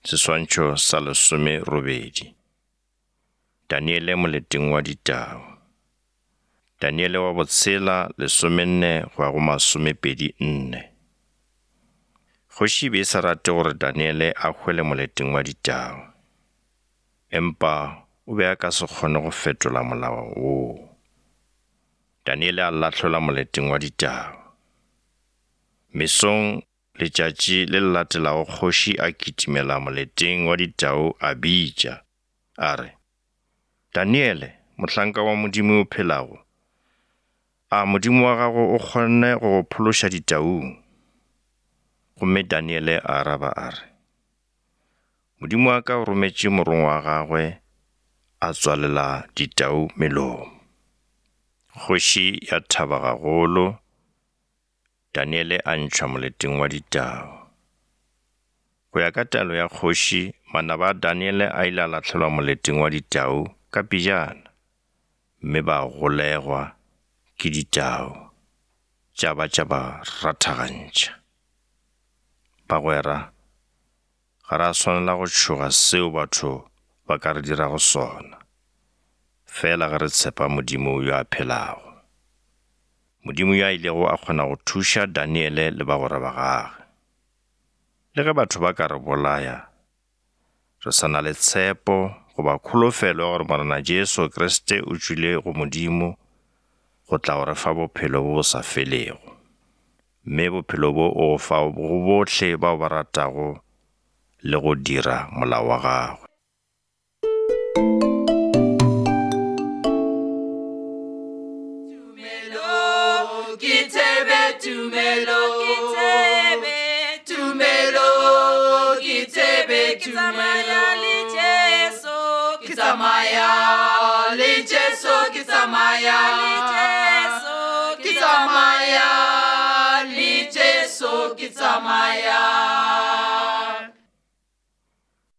Seswantšho sa lesomerobedi. Daniele moleteng wa ditau. Daniele wa botshela lesomenne go ya go masomepedi nne. Kgoši e be e sa rate gore Daniele a hwele moleteng wa ditau. Empa o be a ka se kgone go fetola molao woo. Daniele a lahlelwa moleteng wa ditau. Mesong Letšatši le le latelago kgoši a kitimela moleteng wa ditau a bitša, a re, Daniele, mohlanka wa Modimo yo phelago, a Modimo wa gago o kgonne go go phološa ditaung? Gomme Daniele a araba a re, Modimo wa ka o rometše morongwa wa gagwe a tswalela ditau melomo. Kgoši ya thaba gagolo. Daniele a ntšhwa moleteng wa ditau. Go ya ka taelo ya kgoši, manaba a Daniele a ile a lahlelwa moleteng wa ditau ka pejana, mme ba golegwa ke ditau, tša ba tša ba rathagantšha. Bagwera, ga ra swanela go tšhoga seo batho ba ka re dirago sona, fela ge re tshepa Modimo yo a phelago. Modimo yo a ilego a kgona go thuša Daniele le bagwera ba gagwe. Le ge batho ba ka re bolaya, re sa na le tshepo goba kholofelo ya gore Morena Jesu Kriste o tšwile go Modimo go tla go re fa bophelo bo bo sa felego. Mme bophelo bo o go fa go bohle bao ba ratago le go dira molao wa gagwe. Tumelo ke thebe, tumelo ke thebe, tumelo ke thebe, ke tsamaya le Jesu, ke tsamaya le Jesu, ke tsamaya le Jesu, ke tsamaya le Jesu, ke tsamaya.